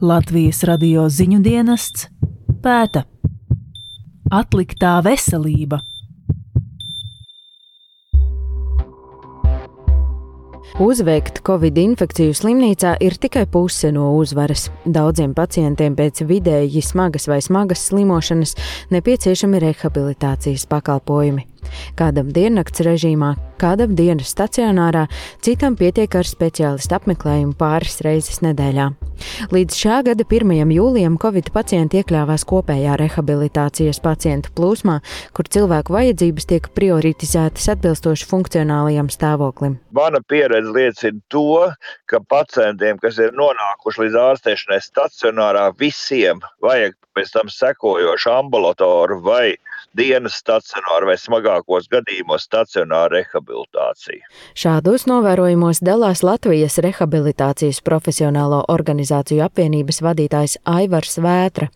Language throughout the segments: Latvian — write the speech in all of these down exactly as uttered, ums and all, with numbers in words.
Latvijas radio ziņu dienests pēta. Atliktā veselība. Uzveikt covid infekciju slimnīcā ir tikai puse no uzvaras. Daudziem pacientiem pēc vidēji smagas vai smagas slimošanas nepieciešami rehabilitācijas pakalpojumi. Kādam diennakts režīmā, kādam dienas stacionārā, citam pietiek ar speciālistu apmeklējumu pāris reizes nedēļā. Līdz šā gada pirmajam jūlijam covid pacienti iekļāvās kopējā rehabilitācijas pacientu plūsmā, kur cilvēku vajadzības tiek prioritizētas atbilstoši funkcionālajam stāvoklim. Mana pieredze liecina to, ka pacientiem, kas ir nonākuši līdz ārstēšanai stacionārā, visiem vajag pēc tam sekojošu ambulatoru vai dienas stacionāru vai smagākos gadījumos stacionāru rehabilitāciju. Šādos novērojumos dalās Latvijas rehabilitācijas profesionālo organizāciju apvienības vadītājs Aivars Vētra.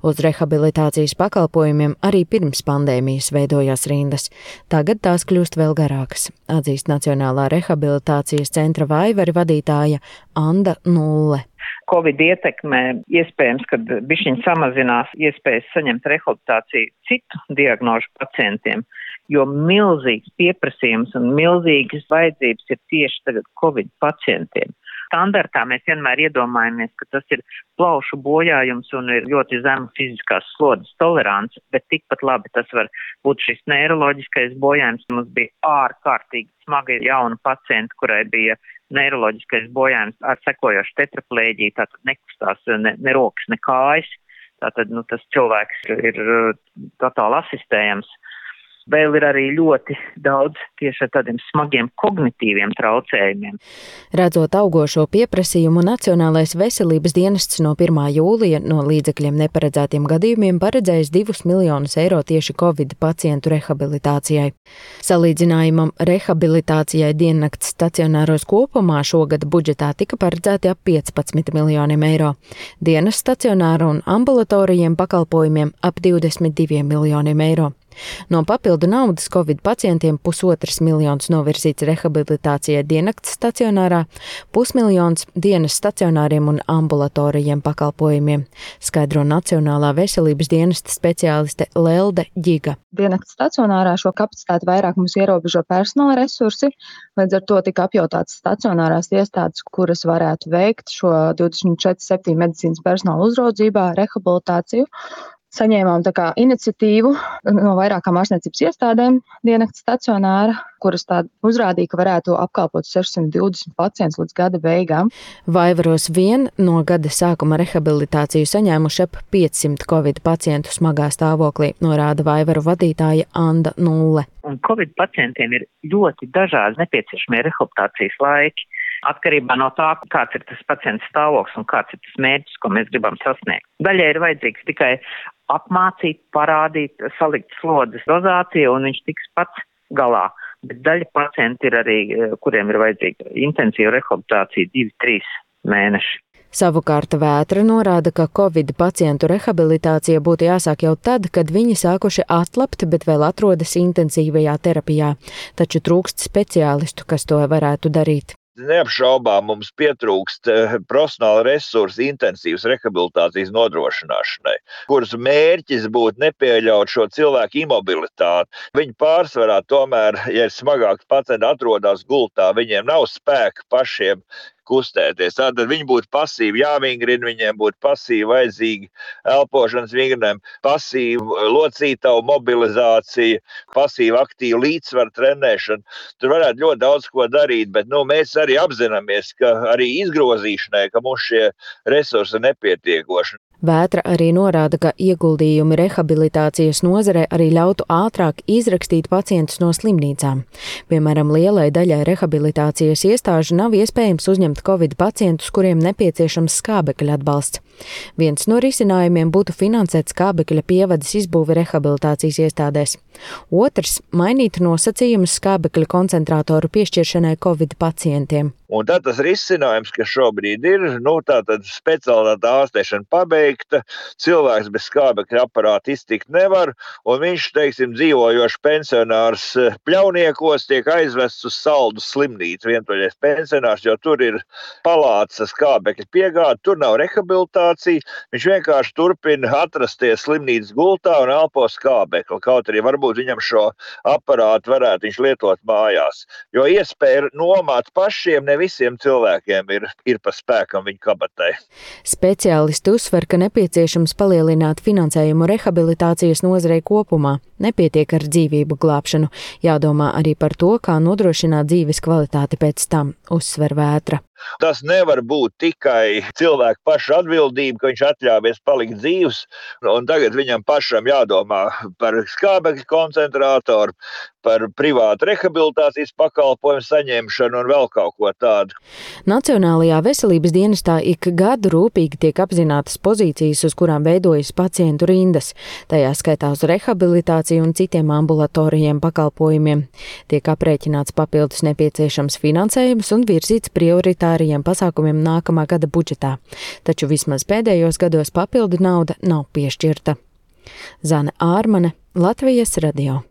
Uz rehabilitācijas pakalpojumiem arī pirms pandēmijas veidojās rindas. Tagad tās kļūst vēl garākas, atzīst Nacionālā rehabilitācijas centra Vaivari vadītāja Anda Nulle. Covid ietekmē iespējams, kad bišķiņ samazinās iespējas saņemt rehabilitāciju citu diagnožu pacientiem, jo milzīgs pieprasījums un milzīgas vajadzības ir tieši tagad Covid pacientiem. Standartā mēs vienmēr iedomājamies, ka tas ir plaušu bojājums un ir ļoti zema fiziskās slodzes tolerance, bet tikpat labi tas var būt šis neiroloģiskais bojājums. Mums bija ārkārtīgi smaga jauna pacienta, kurai bija neiroloģiskais bojājums ar sekojošu tetraplēģiju, tātad nekustās ne, ne rokas, ne kājas. Tātad nu, tas cilvēks ir totāli asistējams. Vēl ir arī ļoti daudz tieši ar tādiem smagiem kognitīviem traucējumiem. Redzot augošo pieprasījumu, Nacionālais veselības dienests no pirmā jūlija no līdzekļiem neparedzētiem gadījumiem paredzējis divus miljonus eiro tieši Covid pacientu rehabilitācijai. Salīdzinājumam rehabilitācijai diennakts stacionāros kopumā šogad budžetā tika paredzēti ap piecpadsmit miljoniem eiro. Dienas stacionāru un ambulatorijiem pakalpojumiem ap divdesmit diviem miljoniem eiro. No papildu naudas Covid pacientiem pusotrs miljons novirzīts rehabilitācijai diennakts stacionārā, pusmiljons dienas stacionāriem un ambulatorijiem pakalpojumiem, skaidro Nacionālā veselības dienesta speciāliste Lelde Ģiga. Diennakts stacionārā šo kapacitāti vairāk mums ierobežo personāla resursi, līdz ar to tika apjautāts stacionārās iestādes, kuras varētu veikt šo divdesmit četri septiņi medicīnas personāla uzraudzībā, rehabilitāciju. Saņēmām tā kā iniciatīvu no vairākām ārstniecības iestādēm diennakts stacionāra, kuras tā uzrādīja, ka varētu apkalpot sešsimt divdesmit pacientus līdz gada beigām. Vaivaros vien no gada sākuma rehabilitāciju saņēmuši ap piecsimt Covid pacientu smagā stāvoklī, norāda Vaivaru vadītāja Anda Nulle. Un Covid pacientiem ir ļoti dažādi nepieciešamie rehabilitācijas laiki. Atkarībā no tā, kāds ir tas pacients stāvoklis un kāds ir tas mērķis, ko mēs gribam sasniegt. Daļai ir vajadzīgs tikai apmācīt, parādīt, salikt slodzes dozāciju un viņš tiks pats galā. Bet daļa pacienti ir arī, kuriem ir vajadzīga intensīva rehabilitācija divi, trīs mēneši. Savukārt Vētra norāda, ka Covid pacientu rehabilitācija būtu jāsāk jau tad, kad viņi sākuši atlapt, bet vēl atrodas intensīvajā terapijā. Taču trūkst speciālistu, kas to varētu darīt. Neapšaubām mums pietrūkst profesionāla resursa intensīvas rehabilitācijas nodrošināšanai, kuras mērķis būtu nepieļaut šo cilvēku imobilitāti. Viņi pārsvarā tomēr, ja ir smagāks pacienti atrodas gultā, viņiem nav spēka pašiem kustēties. Tātad viņi būtu pasīvi jāvingrina, viņiem būtu pasīvi vajadzīgi elpošanas vingrinājumi, pasīva locītavu mobilizācija, pasīva aktīva līdzsvara trenēšana. Tur varētu ļoti daudz ko darīt, bet nu, mēs arī apzināmies, ka arī izgrozīšanai, ka mums šie resursi ir nepietiekoši. Vētra arī norāda, ka ieguldījumi rehabilitācijas nozarē arī ļautu ātrāk izrakstīt pacientus no slimnīcām. Piemēram, lielai daļai rehabilitācijas iestāžu nav iespējams uzņemt Covid pacientus, kuriem nepieciešams skābekļa atbalsts. Viens no risinājumiem būtu finansēt skābekļa pievades izbūvi rehabilitācijas iestādēs. Otrs – mainīt nosacījumus skābekļa koncentrātoru piešķiršanai Covid pacientiem. Un tad tas risinājums, kas šobrīd ir, nu tātad speciālitāte ārstēšana pabeigta, pabeigta, cilvēks bez skābekļa aparāta iztikt nevar, un viņš, teiksim, dzīvojošs pensionārs Pļauniekos tiek aizvests uz Saldu slimnīcu, vientuļais pensionārs, jo tur ir palātas ar skābekļa piegādi, tur nav rehabilitācija, viņš vienkārši turpina atrasties slimnīcas gultā un elpo skābekli, kaut arī varbūt viņam šo aparātu varētu viņš lietot mājās, jo iespēja nomāt pašiem ne visiem cilvēkiem ir, ir pa spēkam viņa kabatai. Speciālisti uzsver, ka nepieciešams palielināt finansējumu rehabilitācijas nozarei kopumā. Nepietiek ar dzīvību glābšanu, jādomā arī par to, kā nodrošināt dzīves kvalitāti pēc tam, uzsver Vētra. Tas nevar būt tikai cilvēku paša atbildība, ka viņš atļāvies palikt dzīvs, un tagad viņam pašam jādomā par skābekļa koncentrātoru, par privātu rehabilitācijas pakalpojumu saņemšanu un vēl kaut ko tādu. Nacionālajā veselības dienestā ik gadu rūpīgi tiek apzinātas pozīcijas, uz kurām veidojas pacientu rindas, tajā skaitā uz rehabilitāciju un citiem ambulatorijiem pakalpojumiem. Tiek aprēķināts papildus nepieciešams finansējums un virzīts prioritāriem pasākumiem nākamā gada budžetā, taču vismaz pēdējos gados papildu nauda nav piešķirta. Zane Ārmane, Latvijas radio.